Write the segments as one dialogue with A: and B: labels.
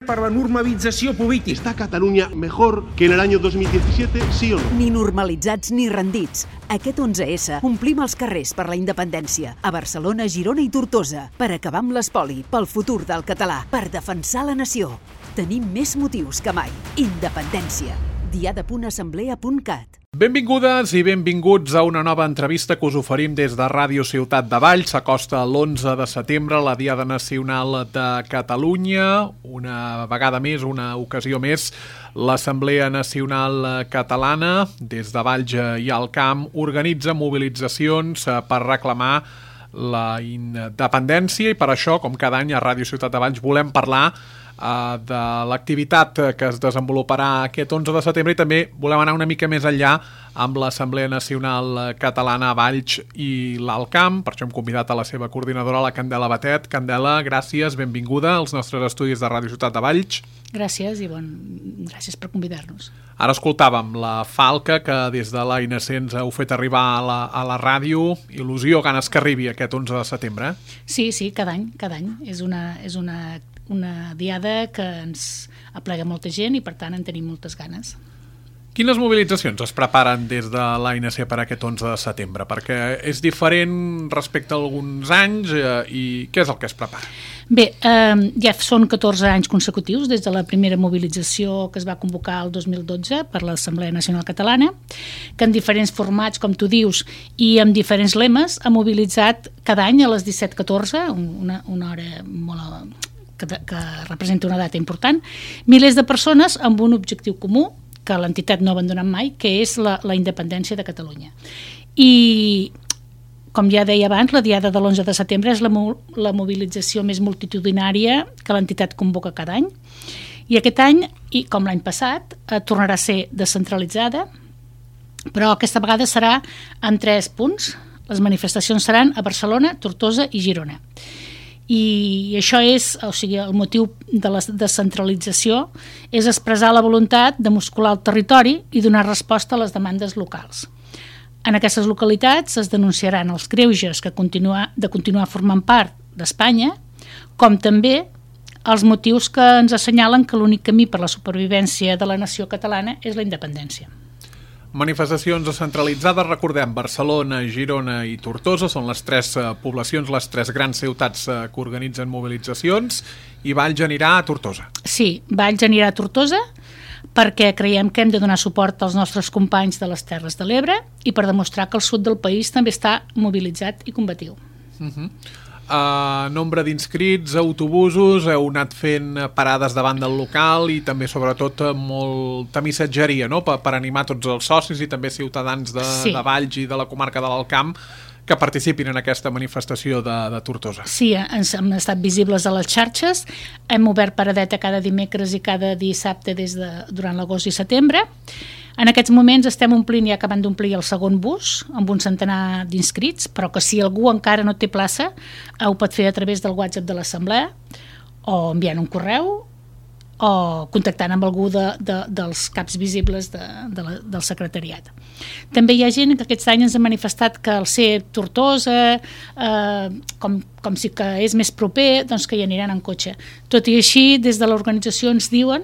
A: para la normalització política.
B: ¿Está Cataluña mejor que en el año 2017, sí o no?
C: Ni normalitzats ni rendits. Aquest 11S omplim els carrers per la independència. A Barcelona, Girona i Tortosa. Per acabar amb l'espoli, pel futur del català. Per defensar la nació. Tenim més motius que mai. Independència. diada.assemblea.cat.
D: Benvingudes i benvinguts a una nova entrevista que us oferim des de Ràdio Ciutat de Valls. S'acosta l'11 de setembre, la Diada Nacional de Catalunya. Una vegada més, una ocasió més, l'Assemblea Nacional Catalana, des de Valls i al Camp, organitza mobilitzacions per reclamar la independència i per això, com cada any a Ràdio Ciutat de Valls, volem parlar de l'activitat que es desenvoluparà aquest 11 de setembre i també volem anar una mica més enllà amb l'Assemblea Nacional Catalana a Valls i l'Alt Camp. Per això hem convidat a la seva coordinadora, la Candela Batet. Candela, gràcies, benvinguda als nostres estudis de Ràdio Ciutat de Valls.
E: Gràcies i gràcies per convidar-nos.
D: Ara escoltàvem la falca que des de l'ANC ens heu fet arribar a la ràdio. Il·lusió, ganes que arribi aquest 11 de setembre.
E: Sí, cada any. És una diada que ens aplega molta gent i per tant en tenim moltes ganes.
D: Quines mobilitzacions es preparen des de l'ANC per aquest 11 de setembre? Perquè és diferent respecte a alguns anys i què és el que es prepara?
E: Bé, ja són 14 anys consecutius des de la primera mobilització que es va convocar el 2012 per l'Assemblea Nacional Catalana, que en diferents formats, com tu dius, i amb diferents lemes, ha mobilitzat cada any a les 17:14, una hora molt que representa una data important, milers de persones amb un objectiu comú que l'entitat no ha abandonat mai, que és la independència de Catalunya. I, com ja deia abans, la Diada de l'11 de setembre és la mobilització més multitudinària que l'entitat convoca cada any. I aquest any, i com l'any passat, tornarà a ser descentralitzada, però aquesta vegada serà en 3 punts. Les manifestacions seran a Barcelona, Tortosa i Girona. I això és, el motiu de la descentralització és expressar la voluntat de muscular el territori i donar resposta a les demandes locals. En aquestes localitats es denunciaran els greuges de continuar formant part d'Espanya, com també els motius que ens assenyalen que l'únic camí per la supervivència de la nació catalana és la independència.
D: Manifestacions descentralitzades, recordem, Barcelona, Girona i Tortosa són les 3 poblacions, les 3 grans ciutats que organitzen mobilitzacions, i Valls anirà a Tortosa.
E: Sí, Valls anirà a Tortosa perquè creiem que hem de donar suport als nostres companys de les Terres de l'Ebre i per demostrar que el sud del país també està mobilitzat i combatiu.
D: Nombre d'inscrits, autobusos, heu anat fent parades davant del local i també sobretot molta missatgeria, no? per animar tots els socis i també ciutadans de Valls i de la comarca de l'Alt Camp que participin en aquesta manifestació de Tortosa.
E: Sí, hem estat visibles a les xarxes, hem obert paradeta cada dimecres i cada dissabte durant l'agost i setembre. En aquests moments estem omplint i acabant d'omplir el segon bus amb un centenar d'inscrits, però que si algú encara no té plaça ho pot fer a través del WhatsApp de l'Assemblea o enviant un correu o contactant amb algú dels caps visibles del secretariat. També hi ha gent que aquest any ens ha manifestat que al ser Tortosa, com si que és més proper, doncs que hi aniran en cotxe. Tot i així, des de l'organització ens diuen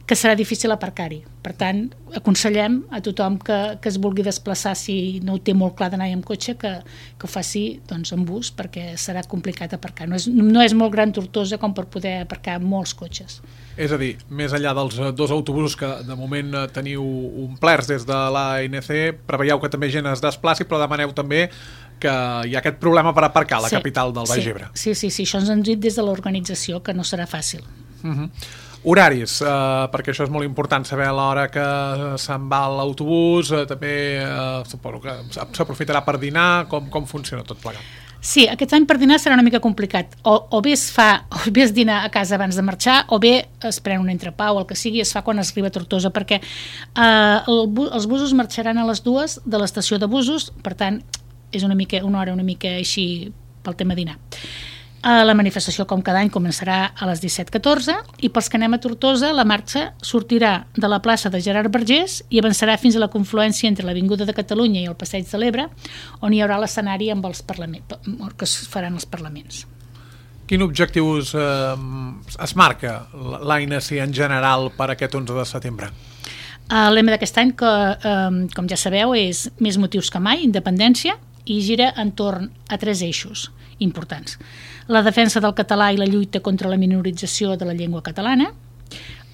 E: que serà difícil aparcar-hi. Per tant, aconsellem a tothom que es vulgui desplaçar, si no ho té molt clar d'anar amb cotxe, que ho faci en bus, perquè serà complicat aparcar. No és molt gran Tortosa com per poder aparcar molts cotxes.
D: És a dir, més enllà dels 2 autobusos que de moment teniu omplerts des de l'ANC, preveieu que també gent es desplaci, però demaneu també que hi ha aquest problema per aparcar a la capital del Baix Ebre.
E: Sí, això ens han dit des de l'organització, que no serà fàcil.
D: Horaris, perquè això és molt important saber a l'hora que se'n va l'autobús, també suposo que s'aprofitarà per dinar, com funciona tot plegat?
E: Sí, aquest any per dinar serà una mica complicat. O bé es dina a casa abans de marxar, o bé es pren un entrepà o el que sigui, es fa quan es arriba a Tortosa, perquè els busos marxaran a les 2 de l'estació de busos, per tant, és una hora una mica així pel tema dinar. La manifestació, com cada any, començarà a les 17:14 i pels que anem a Tortosa, la marxa sortirà de la plaça de Gerard Vergés i avançarà fins a la confluència entre l'Avinguda de Catalunya i el Passeig de l'Ebre, on hi haurà l'escenari amb els parlaments, que es faran els parlaments.
D: Quin objectiu es marca l'ANC en general per aquest 11 de setembre?
E: El lema d'aquest any, com ja sabeu, és més motius que mai, independència, i gira entorn a 3 eixos importants. La defensa del català i la lluita contra la minorització de la llengua catalana,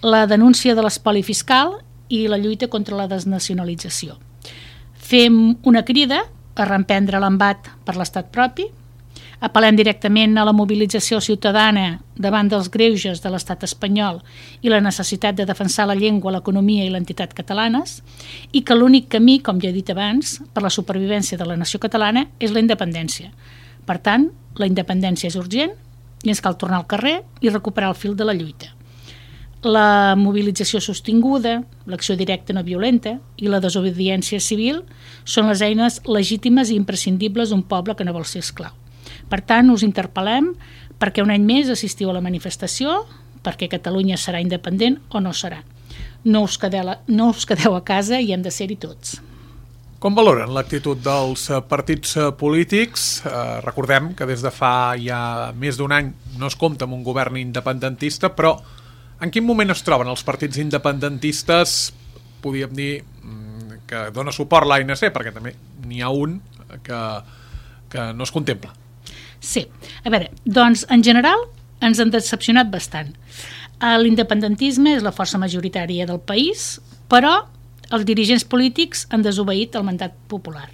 E: la denúncia de l'espoli fiscal i la lluita contra la desnacionalització. Fem una crida a reemprendre l'embat per l'estat propi, apel·lem directament a la mobilització ciutadana davant dels greuges de l'estat espanyol i la necessitat de defensar la llengua, l'economia i l'entitat catalanes, i que l'únic camí, com ja he dit abans, per la supervivència de la nació catalana és la independència. Per tant, la independència és urgent i ens cal tornar al carrer i recuperar el fil de la lluita. La mobilització sostinguda, l'acció directa no violenta i la desobediència civil són les eines legítimes i imprescindibles d'un poble que no vol ser esclau. Per tant, us interpel·lem perquè un any més assistiu a la manifestació, perquè Catalunya serà independent o no serà. No us quedeu a casa i hem de ser-hi tots.
D: Com valoren l'actitud dels partits polítics? Recordem que des de fa ja més d'un any no es compta amb un govern independentista, però en quin moment es troben els partits independentistes, podríem dir, que dona suport a l'ANC, perquè també n'hi ha un que no es contempla?
E: Sí, a veure, doncs en general ens han decepcionat bastant. L'independentisme és la força majoritària del país, però els dirigents polítics han desobeït el mandat popular.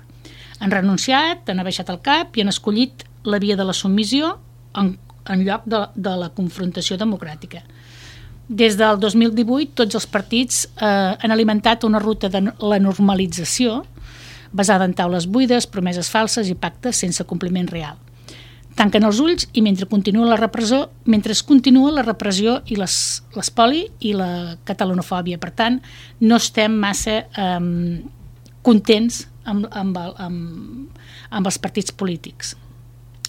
E: Han renunciat, han abaixat el cap i han escollit la via de la submissió en lloc de la confrontació democràtica. Des del 2018 tots els partits han alimentat una ruta de la normalització basada en taules buides, promeses falses i pactes sense compliment real. Tanquen els ulls i mentre continua la repressió i l'espoli i la catalanofòbia. Per tant, no estem massa contents amb els partits polítics.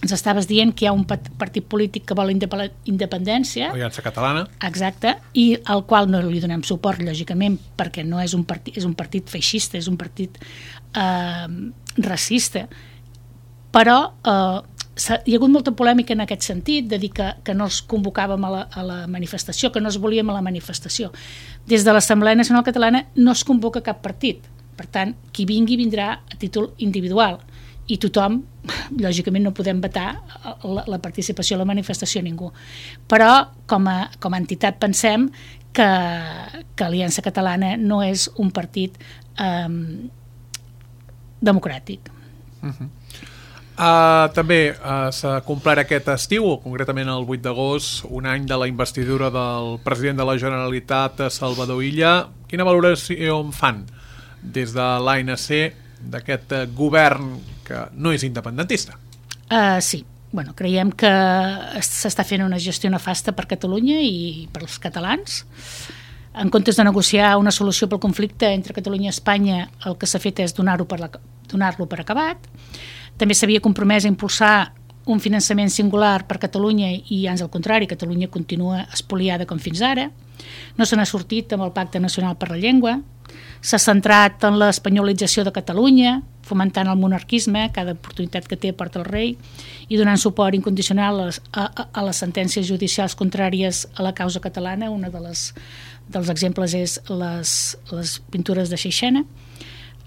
E: Ens estaves dient que hi ha un partit polític que vol independència.
D: Aliança Catalana.
E: Exacte, i al qual no li donem suport, lògicament, perquè no és un partit feixista, és un partit racista. Però hi ha hagut molta polèmica en aquest sentit, de dir que no els convocàvem a la manifestació, que no es volíem a la manifestació. Des de l'Assemblea Nacional Catalana no es convoca cap partit. Per tant, qui vingui vindrà a títol individual. I tothom, lògicament no podem vetar la participació a la manifestació a ningú. Però com a entitat pensem que Aliança Catalana no és un partit democràtic.
D: També s'ha complert aquest estiu, concretament el 8 d'agost, un any de la investidura del president de la Generalitat, Salvador Illa. Quina valoració en fan des de l'ANC d'aquest govern que no és independentista?
E: Sí, creiem que s'està fent una gestió nefasta per Catalunya i per als catalans. En comptes de negociar una solució pel conflicte entre Catalunya i Espanya, el que s'ha fet és donar-lo per acabat. També s'havia compromès a impulsar un finançament singular per Catalunya i ans al contrari, Catalunya continua espoliada com fins ara. No se n'ha sortit amb el Pacte Nacional per la Llengua. S'ha centrat en l'espanyolització de Catalunya, fomentant el monarquisme, cada oportunitat que té porta el rei, i donant suport incondicional a les sentències judicials contràries a la causa catalana. Un dels exemples és les pintures de Seixena.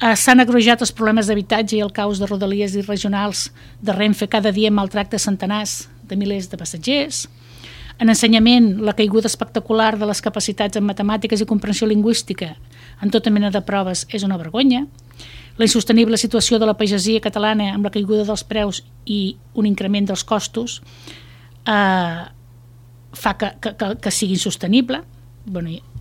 E: S'han agreujat els problemes d'habitatge i el caos de rodalies i regionals de Renfe cada dia maltracta centenars de milers de passatgers. En ensenyament, la caiguda espectacular de les capacitats en matemàtiques i comprensió lingüística en tota mena de proves és una vergonya. La insostenible situació de la pagesia catalana amb la caiguda dels preus i un increment dels costos fa que sigui insostenible.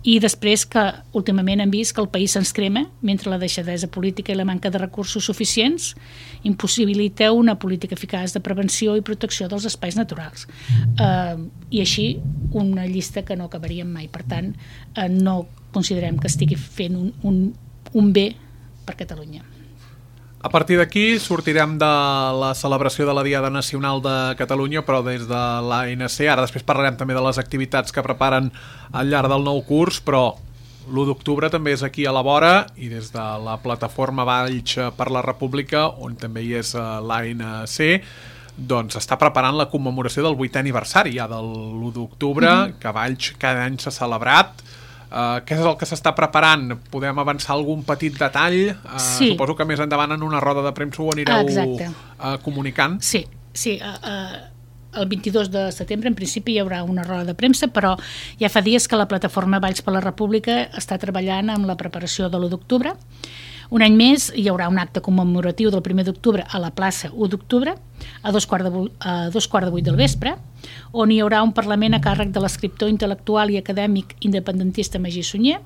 E: I després que últimament hem vist que el país se'ns crema mentre la deixadesa política i la manca de recursos suficients impossibilita una política eficaç de prevenció i protecció dels espais naturals. I així una llista que no acabaríem mai. Per tant, no considerem que estigui fent un bé per Catalunya.
D: A partir d'aquí sortirem de la celebració de la Diada Nacional de Catalunya, però des de l'ANC. Ara després parlarem també de les activitats que preparen al llarg del nou curs, però l'1 d'octubre també és aquí a la vora i des de la plataforma Valls per la República, on també hi és l'ANC, doncs està preparant la commemoració del 8è aniversari ja de l'1 d'octubre, que a Valls cada any s'ha celebrat. Què és el que s'està preparant? Podem avançar algun petit detall?
E: Sí.
D: Suposo que més endavant en una roda de premsa ho anireu comunicant.
E: Sí. El 22 de setembre en principi hi haurà una roda de premsa, però ja fa dies que la plataforma Valls per la República està treballant amb la preparació de l'1 d'octubre. Un any més hi haurà un acte commemoratiu del 1 d'octubre a la plaça 1 d'octubre a 2:15 del vespre, on hi haurà un parlament a càrrec de l'escriptor intel·lectual i acadèmic independentista Magí Sunyer.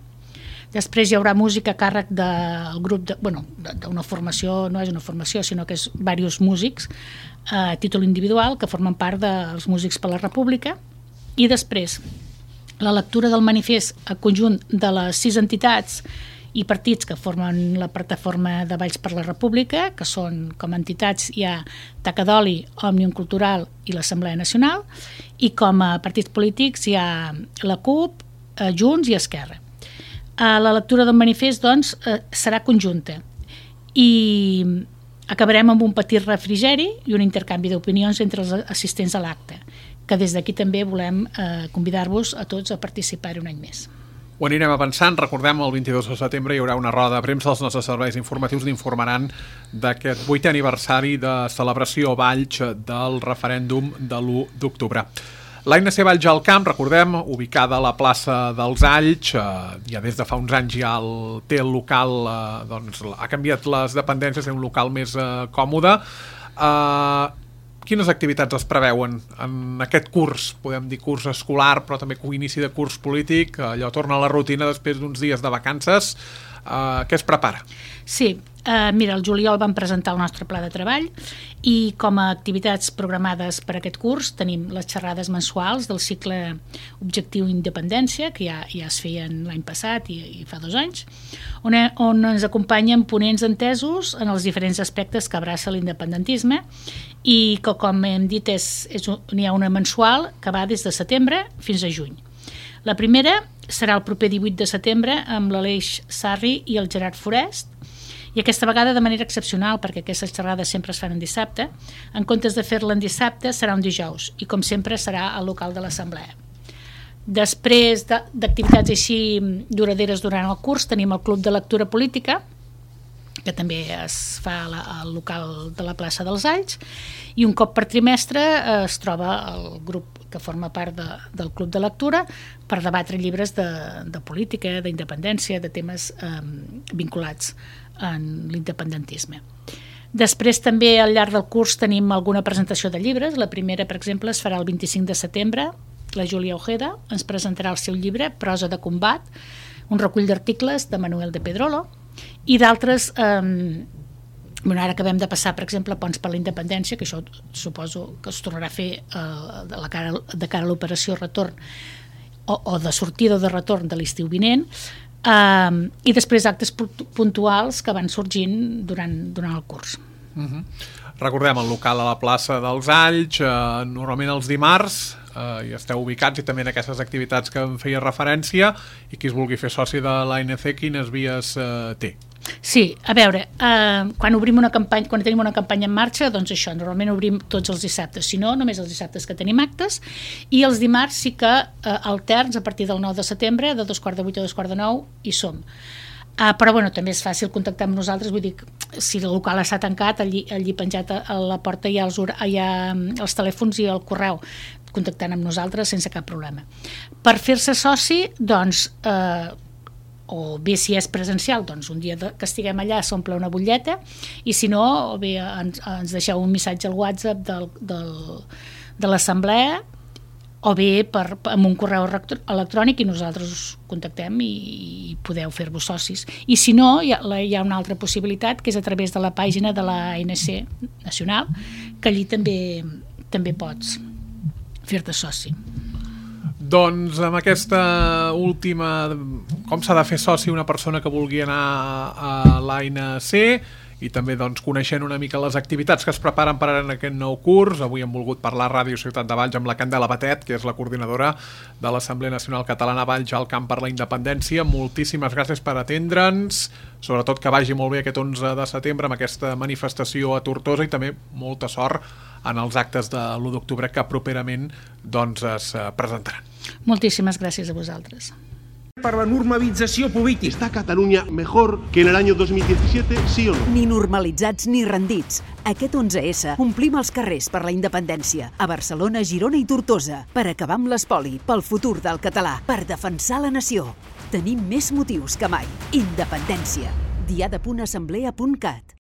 E: Després hi haurà música a càrrec del grup d'una formació, no és una formació, sinó que és diversos músics a títol individual que formen part dels Músics per la República. I després la lectura del manifest a conjunt de les 6 entitats i partits que formen la plataforma de Valls per la República, que són com a entitats hi ha Taca d'Oli, Òmnium Cultural i l'Assemblea Nacional, i com a partits polítics hi ha la CUP, Junts i Esquerra. La lectura del manifest, doncs, serà conjunta i acabarem amb un petit refrigeri i un intercanvi d'opinions entre els assistents a l'acte, que des d'aquí també volem convidar-vos a tots a participar-hi un any més.
D: Ho anirem avançant. Recordem, el 22 de setembre hi haurà una roda de premsa. Els nostres serveis informatius n'informaran d'aquest 8è aniversari de celebració a Valls del referèndum de l'1 d'octubre. L'ANC Valls al Camp, recordem, ubicada a la plaça dels Alls, ja des de fa uns anys ja té el local, ha canviat les dependències, té un local més còmode. Quines activitats es preveuen en aquest curs? Podem dir curs escolar, però també inici de curs polític, allò torna a la rutina després d'uns dies de vacances. Què es prepara?
E: Sí, mira, el juliol vam presentar el nostre pla de treball i com a activitats programades per aquest curs tenim les xerrades mensuals del cicle Objectiu Independència, que ja es feien l'any passat i fa 2 anys, on ens acompanyen ponents entesos en els diferents aspectes que abraça l'independentisme i que, com hem dit, n'hi ha una mensual que va des de setembre fins a juny. La primera serà el proper 18 de setembre amb l'Aleix Sarri i el Gerard Forest, i aquesta vegada de manera excepcional, perquè aquestes xerrades sempre es fan en dissabte. En comptes de fer-la en dissabte serà un dijous i, com sempre, serà al local de l'Assemblea. Després d'activitats així duraderes durant el curs tenim el Club de Lectura Política, que també es fa al local de la plaça dels Alls, i un cop per trimestre es troba el grup que forma part del Club de Lectura per debatre llibres de política, d'independència, de temes vinculats en l'independentisme. Després també al llarg del curs tenim alguna presentació de llibres. La primera, per exemple, es farà el 25 de setembre. La Júlia Ojeda ens presentarà el seu llibre Prosa de combat, un recull d'articles de Manuel de Pedrolo, i d'altres, ara acabem de passar, per exemple, Ponts per la Independència, que això suposo que es tornarà a fer de cara a l'operació retorn o de sortida o de retorn de l'estiu vinent, i després actes puntuals que van sorgint durant el curs.
D: Recordem el local a la plaça dels Alls, normalment els dimarts hi esteu ubicats, i també en aquestes activitats que em feia referència, i qui es vulgui fer soci de l'ANC, quines vies té?
E: Sí, a veure, quan tenim una campanya en marxa, doncs això, normalment obrim tots els dissabtes, si no, només els dissabtes que tenim actes, i els dimarts sí que alterns a partir del 9 de setembre, de 2:15 a 2:45, hi som. Però també és fàcil contactar amb nosaltres, vull dir, si el local està tancat, allí penjat a la porta hi ha els telèfons i el correu, contactant amb nosaltres sense cap problema. Per fer-se soci, doncs, o bé si és presencial, doncs un dia que estiguem allà s'omple una butlleta, i si no, o bé ens deixeu un missatge al WhatsApp de l'Assemblea, o bé amb un correu electrònic, i nosaltres us contactem i podeu fer-vos socis. I si no, hi ha una altra possibilitat, que és a través de la pàgina de l'ANC Nacional, que allí també pots fer-te soci.
D: Doncs amb aquesta última, com s'ha de fer soci una persona que vulgui anar a l'ANC, i també coneixent una mica les activitats que es preparen per en aquest nou curs. Avui hem volgut parlar a Ràdio Ciutat de Valls amb la Candela Batet, que és la coordinadora de l'Assemblea Nacional Catalana Valls al Camp per la Independència. Moltíssimes gràcies per atendre'ns, sobretot que vagi molt bé aquest 11 de setembre amb aquesta manifestació a Tortosa, i també molta sort en els actes de l'1 d'octubre que properament es presentaran.
E: Moltíssimes gràcies a vosaltres.
A: Per la normalització política.
B: ¿Está Cataluña mejor que en el año 2017, sí o no?
C: Ni normalitzats ni rendits. Aquest 11S omplim els carrers per la independència. A Barcelona, Girona i Tortosa. Per acabar amb l'espoli, pel futur del català. Per defensar la nació. Tenim més motius que mai. Independència. diada.assemblea.cat